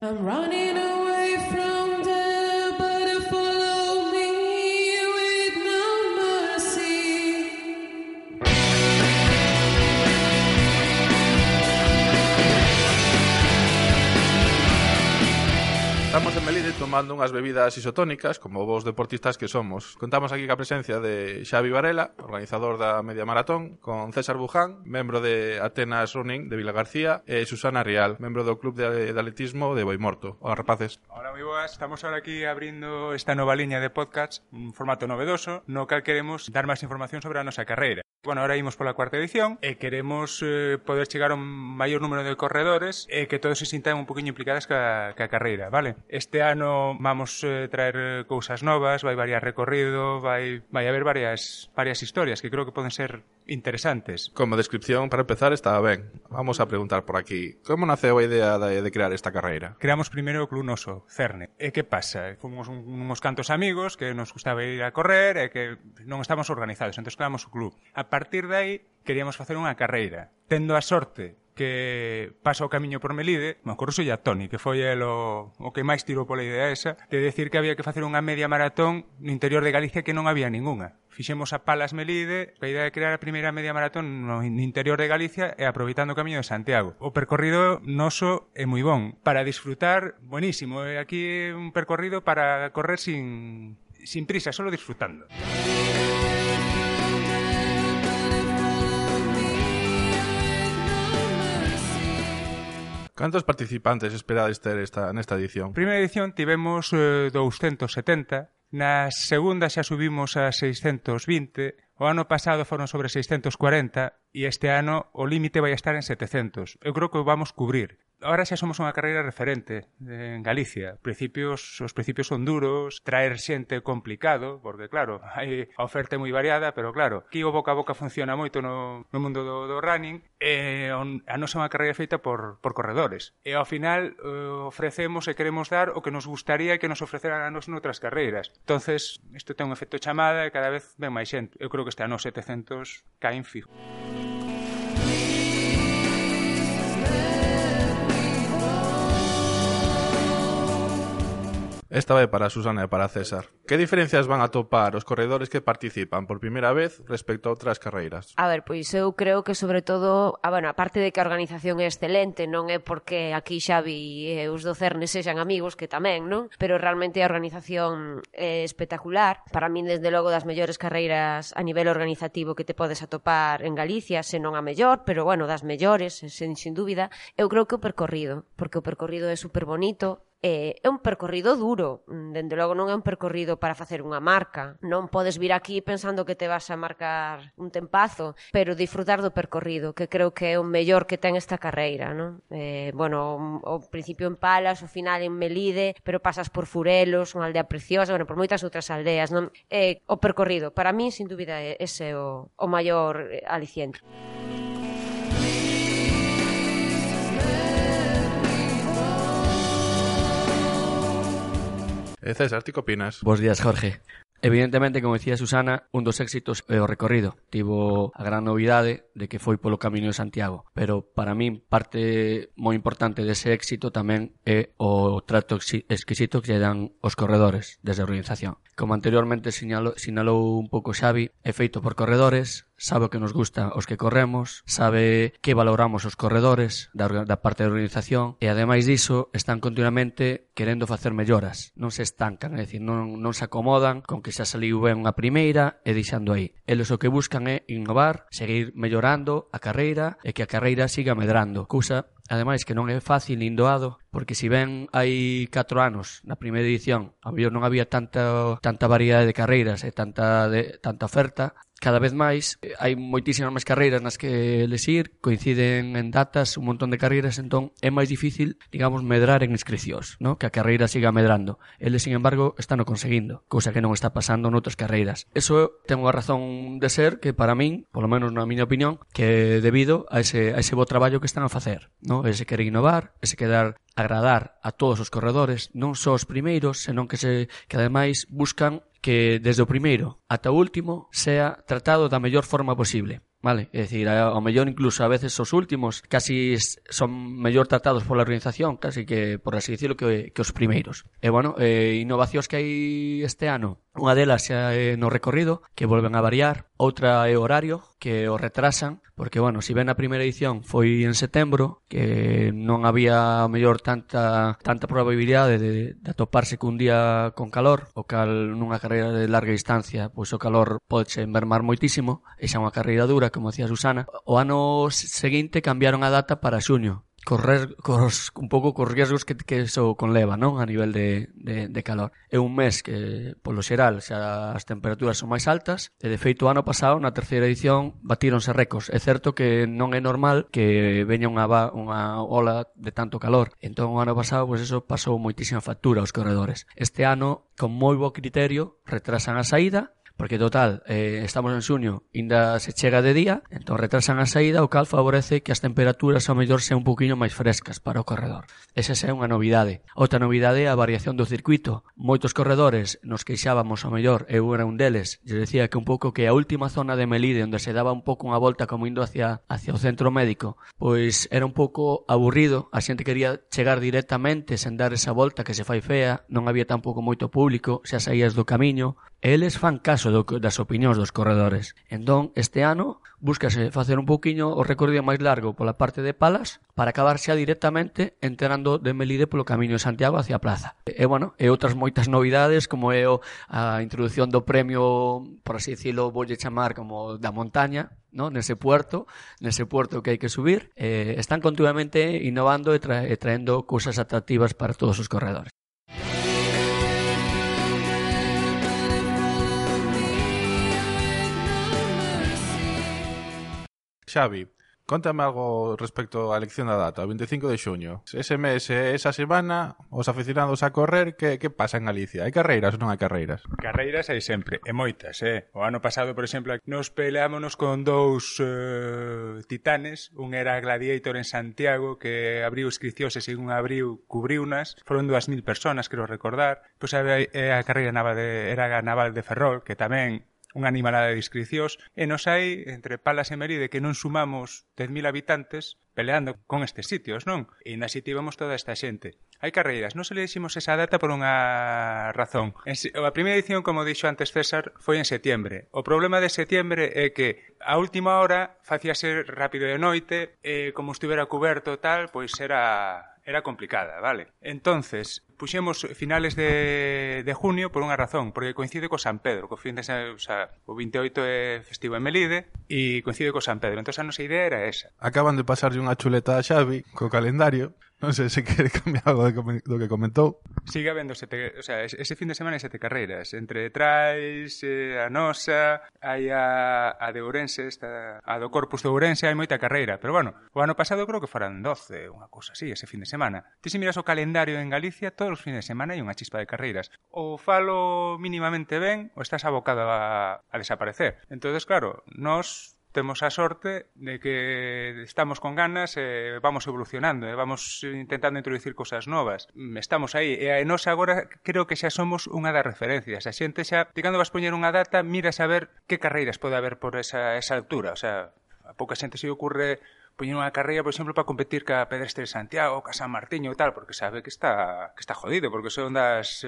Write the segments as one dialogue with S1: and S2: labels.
S1: I'm running away from there, but you follow me with no mercy.
S2: Estamos en Melide tomando unhas bebidas isotónicas, como vos deportistas que somos. Contamos aquí ca presencia de Xavi Varela, organizador da Media Maratón, con César Buján, membro de Atenas Running de Vilagarcía, e Susana Rial, membro do Club de Atletismo de Boimorto. Hola, rapaces.
S3: Hola, moi boas. Estamos ahora aquí abrindo esta nova liña de podcast, un formato novedoso, no cal queremos dar máis información sobre a nosa carreira. Bueno, ahora imos pola cuarta edición e queremos poder chegar a un maior número de corredores e que todos se sintan un poquinho implicadas ca carreira, vale? Este ano vamos traer cousas novas, vai variar recorrido, vai haber varias historias que creo que poden ser interesantes.
S2: Como descripción, para empezar, estaba ben. Vamos a preguntar por aquí. Como naceu a idea de crear esta carreira?
S3: Creamos primeiro o Club Noso, Cerne. E que pasa? Fomos uns cantos amigos que nos gustaba ir a correr e que non estamos organizados, entón creamos o club. A partir de aí, queríamos facer unha carreira. Tendo a sorte que pasa o camiño por Melide, me acordo a Toni, que foi o que máis tirou pola idea esa, de decir que había que facer unha media maratón no interior de Galicia que non había ningunha. Fixemos a Palas Melide, a idea de crear a primeira media maratón no interior de Galicia e aproveitando o camiño de Santiago. O percorrido noso é moi bon. Para disfrutar, buenísimo. Aquí un percorrido para correr sin prisa, solo disfrutando.
S2: Cantos participantes esperades ter nesta edición?
S3: Primeira edición tivemos 270, na segunda xa subimos a 620, o ano pasado foron sobre 640 e este ano o límite vai estar en 700. Eu creo que o vamos cubrir. Ahora xa somos unha carreira referente en Galicia. Os principios son duros, traer xente complicado, porque claro, hai a oferta moi variada, pero claro, aquí o boca a boca funciona moito no mundo do running, e a nosa é unha carreira feita por corredores. E ao final ofrecemos e queremos dar o que nos gustaría que nos ofreceran a nos noutras carreiras. Entonces, isto ten un efecto chamada e cada vez ven máis xente. Eu creo que este ano 700 caen fijo.
S2: Esta vai para Susana e para César. Que diferencias van a topar os corredores que participan por primeira vez respecto a outras carreiras?
S4: A ver, pois eu creo que sobre todo, a parte de que a organización é excelente, non é porque aquí Xavi e os do Cerne sexan amigos, que tamén, non? Pero realmente a organización é espectacular. Para min, desde logo, das mellores carreiras a nivel organizativo que te podes atopar en Galicia, se non a mellor, pero bueno, das mellores, sin dúbida. Eu creo que o percorrido, porque o percorrido é super bonito. É un percorrido duro, dende logo non é un percorrido para facer unha marca, non podes vir aquí pensando que te vas a marcar un tempazo, pero disfrutar do percorrido, que creo que é o mellor que ten esta carreira, non? O principio en Palas, o final en Melide, pero pasas por Furelos, unha aldea preciosa, por moitas outras aldeas, non? O percorrido, para mí, sin dúbida, ese é o maior aliciente.
S2: César, ti que opinas?
S5: Bos días, Jorge. Evidentemente, como decía Susana, un dos éxitos é o recorrido. Tivo a gran novidade de que foi polo Camiño de Santiago, pero para min parte moi importante dese éxito tamén é o trato exquisito que lle dan os corredores desde a organización. Como anteriormente sinalou un pouco Xavi, é feito por corredores, sabe o que nos gusta os que corremos, sabe que valoramos os corredores da parte da organización e ademais diso están continuamente querendo facer melloras, non se estancan, é dicir, non se acomodan con que xa saliu ben unha primeira e deixando aí. Eles o que buscan é innovar, seguir mellorando a carreira e que a carreira siga medrando, cousa ademais que non é fácil nin doado, porque si ben hai 4 anos na primeira edición a mellor non había tanta variedade de carreiras e tanta oferta, cada vez máis hai moitísimas máis carreiras nas que elegir, coinciden en datas un montón de carreiras, entón é máis difícil, digamos, medrar en inscricións, ¿no? Que a carreira siga medrando. Eles, sin embargo, están o conseguindo, cousa que non está pasando noutras carreiras. Eso ten unha razón de ser que para min, polo menos na miña opinión, que é debido a ese bo traballo que están a facer, ¿no? Ese querer innovar, ese querer agradar a todos os corredores, non só os primeiros, senón que ademais buscan que desde o primeiro ata o último sea tratado da mellor forma posible. Vale, é dicir, ao mellor incluso a veces os últimos casi son mellor tratados pola organización, casi que, por así dicirlo, que os primeiros. E, bueno, innovacións que hai este ano, unha delas xa é no recorrido, que volven a variar, outra é o horario, que o retrasan, porque, bueno, si ben a primeira edición foi en setembro, que non había, ao mellor, tanta probabilidade de atoparse cun día con calor, o cal nunha carreira de larga distancia, pois o calor pode mermar moitísimo, e xa unha carreira dura, como decía Susana. O ano seguinte cambiaron a data para xuño, un pouco cos riesgos que eso conleva, non? A nivel de calor. É un mes que, polo xeral, xa as temperaturas son máis altas, e de feito o ano pasado, na terceira edición, batíronse récords. É certo que non é normal que veña unha ola de tanto calor. Entón, o ano pasado, pois eso pasou moitísima factura aos corredores. Este ano, con moi bo criterio, retrasan a saída, porque total, estamos en xuño, ainda se chega de día, entón retrasan a saída, o cal favorece que as temperaturas ao mellor sean un poquinho máis frescas para o corredor. Esa é unha novidade. Outra novidade é a variación do circuito. Moitos corredores nos queixábamos ao mellor, eu era un deles, eu decía que un pouco que a última zona de Melide, onde se daba un pouco unha volta como indo hacia o centro médico, pois era un pouco aburrido, a xente quería chegar directamente sen dar esa volta que se fai fea, non había tampouco moito público, xa saías do camiño, e eles fan caso das opinións dos corredores. Entón, este ano, búscase facer un pouquiño o recorrido máis largo pola parte de Palas para acabar xa directamente entrando de Melide polo camiño de Santiago hacia a plaza. E, bueno, e outras moitas novidades, como é a introducción do premio, por así dicilo, voulle chamar como da montaña, ¿no? Nese puerto que hai que subir. Están continuamente innovando e traendo cousas atractivas para todos os corredores.
S2: Xavi, Contame algo respecto á elección da data, o 25 de xuño. Ese mes e esa semana, os aficionados a correr, que pasa en Galicia? Hai carreiras ou non hai carreiras?
S3: Carreiras hai sempre, e moitas, O ano pasado, por exemplo, nos peleámonos con dous titanes. Un era Gladiator en Santiago, que abriu inscricións e según abriu, cubriunas. Foron 2.000 personas, quero recordar. Pois a carreira era a Naval de Ferrol, que tamén unha animalada de inscricións, e nos hai, entre Palas e Meride, que non sumamos 10.000 habitantes peleando con estes sitios, non? E ainda así tivemos toda esta xente. Hai carreiras, non se le diximos esa data por unha razón. A primeira edición, como dixo antes César, foi en setembro. O problema de setembro é que a última hora facíase rápido de noite, e como estivera cuberto tal, pois era complicada, vale? Entonces, puxemos finales de junio por unha razón, porque coincide co San Pedro, o 28 é festivo en Melide e coincide co San Pedro. Entón, a nosa idea era esa.
S2: Acaban de pasarlle unha chuleta a Xavi co calendario. Non sei se quere cambiar algo do que comentou.
S3: Sigue habendo ese fin de semana hai 7 carreiras. Entre Trais, a nosa, hai a de Ourense, a do Corpus de Ourense, hai moita carreira. Pero bueno, o ano pasado creo que foran 12, unha cousa así, ese fin de semana. Ti se miras o calendario en Galicia, todos os fines de semana hai unha chispa de carreiras. Ou falo mínimamente ben, ou estás abocado a desaparecer. Entonces, claro, nós temos a sorte de que estamos con ganas e vamos evolucionando, vamos intentando introducir cosas novas. Estamos aí, e nós agora creo que xa somos unha das referencias. A xente xa, cando vas poñer unha data, miras a ver que carreiras pode haber por esa altura. O sea, a pouca xente se ocurre poñer unha carreira, por exemplo, para competir ca Pedestre de Santiago, ca San Martiño e tal, porque sabe que está jodido, porque son das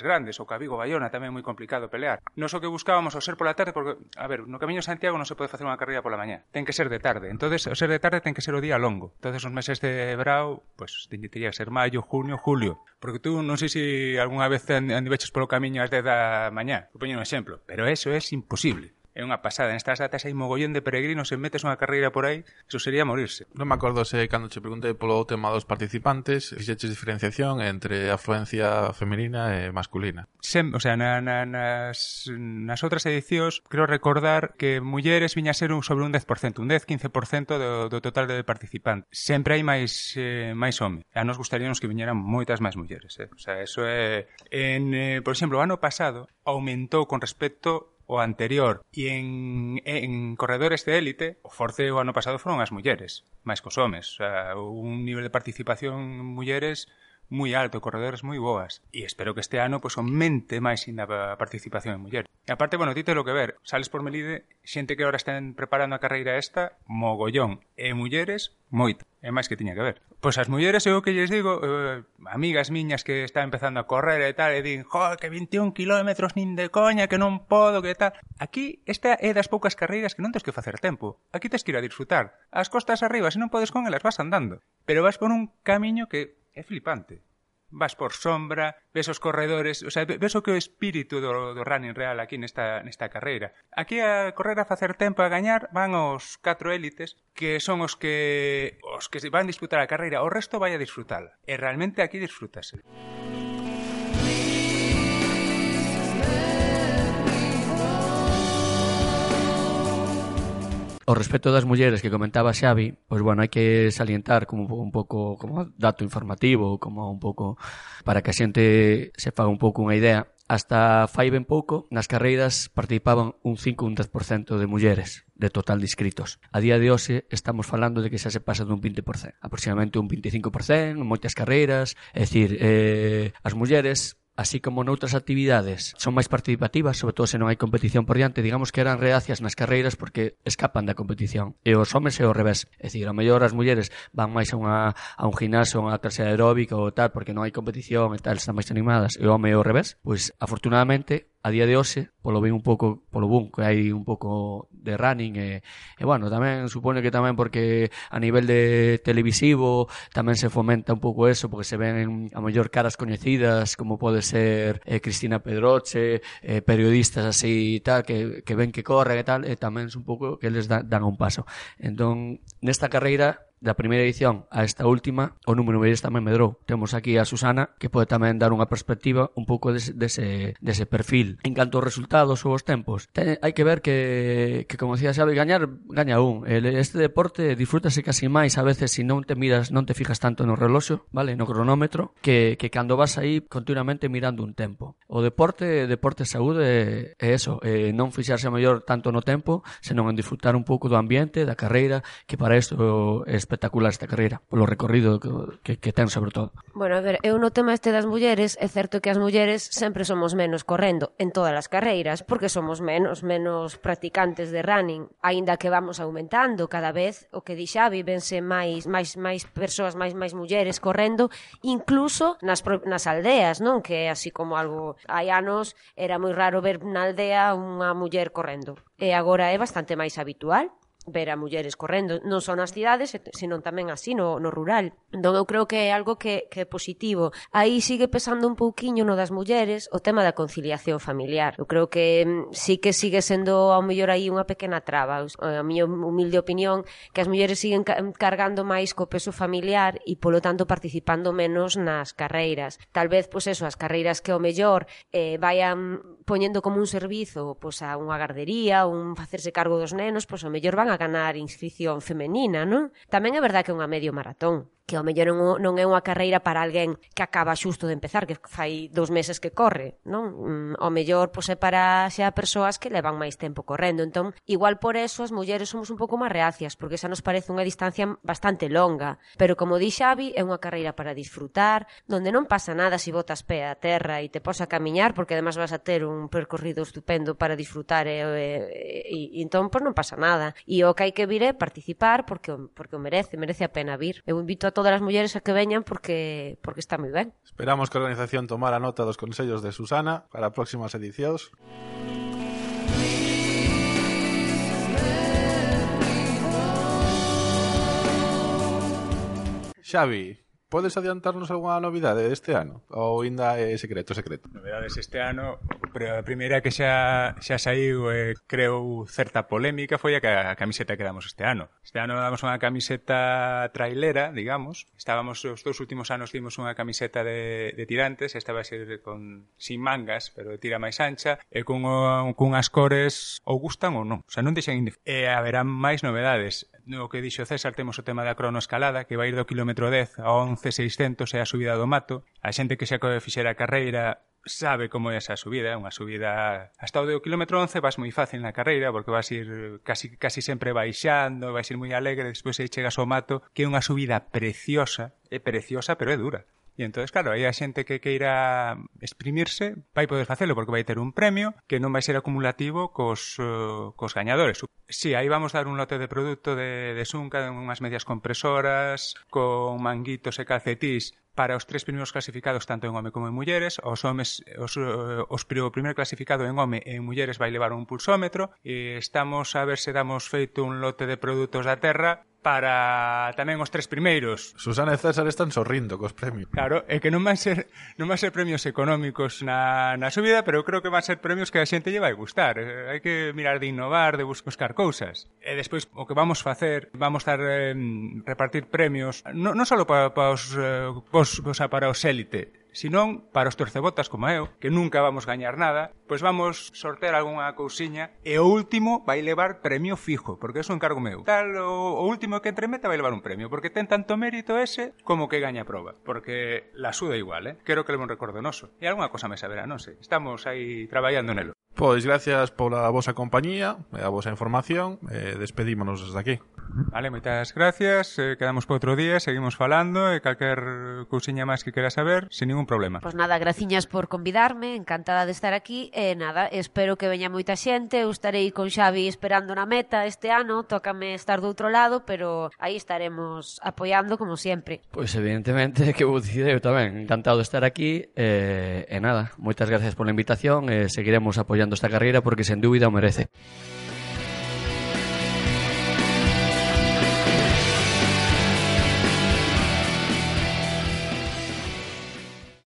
S3: grandes, ou ca Vigo Bayona tamén é moi complicado pelear. Nos o que buscábamos ao ser pola tarde, porque, a ver, no Camiño de Santiago non se pode facer unha carreira pola mañá, ten que ser de tarde. Entonces, o ser de tarde ten que ser o día longo. Entonces, os meses de brao, pues tería que ser maio, junio, julio. Porque tú non sei se algunha vez andiveches polo camiño ás 10 da mañá, vou poñer un exemplo, pero eso é imposible. É unha pasada. Nestas datas hai mogollón de peregrinos, se metes unha carreira por aí, eso sería morirse.
S2: Non me acordo se cando che preguntei polo tema dos participantes, fixeches diferenciación entre afluencia femenina e masculina.
S3: Nas outras edicións, creo recordar que mulleres viña a ser sobre un 10%, un 10-15% do total de participantes. Sempre hai máis home. A nos gustaríamos que viñeran moitas máis mulleres. O sea, eso é... por exemplo, o ano pasado aumentou con respecto o anterior, e en corredores de élite o forte o ano pasado foron as mulleres máis cos homes, o sea, un nivel de participación en mulleres moi alto, corredores moi boas. E espero que este ano pois aumente máis ainda a participación en mulleres. E aparte, bueno, ti telo que ver, sales por Melide, xente que ahora están preparando a carreira esta, mogollón, e mulleres, moito. É máis que tiña que ver. Pois as mulleres, eu que lles digo, amigas miñas que están empezando a correr e tal, e din, que 21 kilómetros nin de coña, que non podo, que tal. Aquí, esta é das poucas carreiras que non tens que facer tempo. Aquí tens que ir a disfrutar. As costas arriba, se non podes con elas, vas andando. Pero vas por un camiño que é flipante. Vas por sombra, ves os corredores, o sea, ves o que é o espírito do running real aquí nesta carreira. Aquí a correr a facer tempo a gañar van os 4 élites, que son os que van a disputar a carreira, o resto vai a disfrutala. E realmente aquí disfrútase.
S5: Ao respecto das mulleres que comentaba Xavi, pois bueno, hai que salientar como un pouco como dato informativo, como un pouco para que a xente se faga un pouco unha idea. Hasta fai ben pouco, nas carreiras participaban un 5 ou un 10% de mulleres de total de inscritos. A día de hoxe estamos falando de que xa se pasa dun 20%, aproximadamente un 25% en moitas carreiras, é dicir, as mulleres así como noutras actividades son máis participativas, sobre todo se non hai competición por diante, digamos que eran reacias nas carreiras porque escapan da competición. E os homes é ao revés, é dicir, a mellor as mulleres van máis a un gimnasio, a unha clase aeróbica ou tal, porque non hai competición e tal, están máis animadas, e o home é ao revés. Pois, afortunadamente, a día de hoxe, polo boom que hai un pouco de running e bueno, tamén supone que tamén porque a nivel de televisivo tamén se fomenta un pouco eso, porque se ven a mellor caras coñecidas como pode ser Cristina Pedroche, periodistas así e tal, que ven que corren e tal, e tamén é un pouco que les dan un paso. Entón, nesta carreira da primeira edición a esta última, o número de mulleres tamén medrou. Temos aquí a Susana, que pode tamén dar unha perspectiva un pouco dese perfil. En canto aos resultados ou aos tempos, hai que ver que como decía Xavi, gaña un. Este deporte disfrútase casi máis a veces se non te fijas tanto no reloxo, vale, no cronómetro, que cando vas aí continuamente mirando un tempo. O deporte saúde é eso, non fixarse a mellor tanto no tempo, senón en disfrutar un pouco do ambiente, da carreira, que para isto é espectacular esta carreira, polo recorrido que ten sobre todo.
S4: Bueno, a ver, eu no tema este das mulleres, é certo que as mulleres sempre somos menos correndo en todas as carreiras, porque somos menos practicantes de running, aínda que vamos aumentando cada vez, o que di Xavi, vense máis persoas, máis mulleres correndo, incluso nas aldeas, non? Que así como algo, hai anos era moi raro ver na aldea unha muller correndo, e agora é bastante máis habitual ver a mulleres correndo, non só nas cidades, senón tamén así no rural. Entón eu creo que é algo que é positivo. Aí sigue pesando un pouquiño no das mulleres o tema da conciliación familiar. Eu creo que sí que sigue sendo ao mellor aí unha pequena traba. A miña humilde opinión que as mulleres siguen cargando máis co peso familiar e polo tanto participando menos nas carreiras. Tal vez, pois eso, as carreiras que ao mellor vayan poñendo como un servizo pois a unha gardería, un facerse cargo dos nenos, pois ao mellor van a ganar inscripción femenina, non? Tamén é verdad que é unha medio maratón, que ao mellor non é unha carreira para alguén que acaba xusto de empezar, que fai 2 meses que corre, non? Ao mellor pois é para xa persoas que levan máis tempo correndo. Entón, igual por eso as mulleres somos un pouco máis reacias, porque xa nos parece unha distancia bastante longa, pero como di Xavi, é unha carreira para disfrutar, donde non pasa nada se botas pé a terra e te pos a camiñar, porque además vas a ter un percorrido estupendo para disfrutar e entón pois non pasa nada. E o que hai que vir é participar porque o merece a pena vir. Eu invito a todas as mulleres a que veñan porque está moi ben.
S2: Esperamos que a organización tomara nota dos consellos de Susana para próximas edicións. Xavi, podes adiantarnos algunha novidade deste ano? Ou ainda é secreto?
S3: Novedades este ano, pero a primeira que xa saiu creou certa polémica foi a camiseta que damos este ano. Este ano damos unha camiseta trailera, digamos. Os 2 últimos anos dimos unha camiseta de tirantes, esta vai ser sin mangas, pero de tira máis ancha, e cunhas cores ou gustan ou non. O sea, non deixan e haberán máis novedades. No que dixo César, temos o tema da cronoescalada, que vai ir do kilómetro 10 a 11.600 e a subida do mato. A xente que xa fixera a carreira sabe como é esa subida, unha subida hasta o do kilómetro 11 vas moi fácil na carreira porque vas ir casi sempre baixando, vais ir moi alegre, despois aí chegas ao mato, que é unha subida preciosa, é preciosa pero é dura. E entón, claro, aí a xente que queira exprimirse vai poder facelo porque vai ter un premio que non vai ser acumulativo cos gañadores. Sí, aí vamos dar un lote de produto de Sunca, unhas medias compresoras, con manguitos e calcetís para os 3 primeiros clasificados tanto en home como en mulleres. O primeiro clasificado en home e en mulleres vai levar un pulsómetro e estamos a ver se damos feito un lote de produtos da terra para tamén os 3 primeiros.
S2: Susana e César están sorrindo cos premios.
S3: Claro, é que non van ser premios económicos na subida, pero eu creo que van ser premios que a xente lle vai gustar. Hai que mirar de innovar, de buscar cousas. E despois o que vamos facer, vamos estar repartir premios non só para os élite, senón para os torcebotas como eu, que nunca vamos gañar nada, pois vamos sortear algunha cousiña e o último vai levar premio fijo, porque é un encargo meu. Tal, o último que entremeta vai levar un premio, porque ten tanto mérito ese como que gaña a proba, porque la suda igual, quero que leve un recordo noso. E algunha cosa me saberá, non sei. Estamos aí traballando nelo.
S2: Pois gracias pola vosa compañía e a vosa información. Despedímonos desde aquí.
S3: Vale, moitas gracias. Quedamos para outro día, seguimos falando e calquer cousiña máis que queira saber, sin ningún problema.
S4: Pois nada, graciñas por convidarme, encantada de estar aquí e nada, espero que veña moita xente. Eu estarei con Xavi esperando na meta este ano, tócame estar do outro lado, pero aí estaremos apoiando como sempre.
S5: Pois evidentemente que vou dicir eu tamén, encantado de estar aquí e nada, moitas gracias pola invitación e seguiremos apoiando esta carreira porque sen dúbida o merece.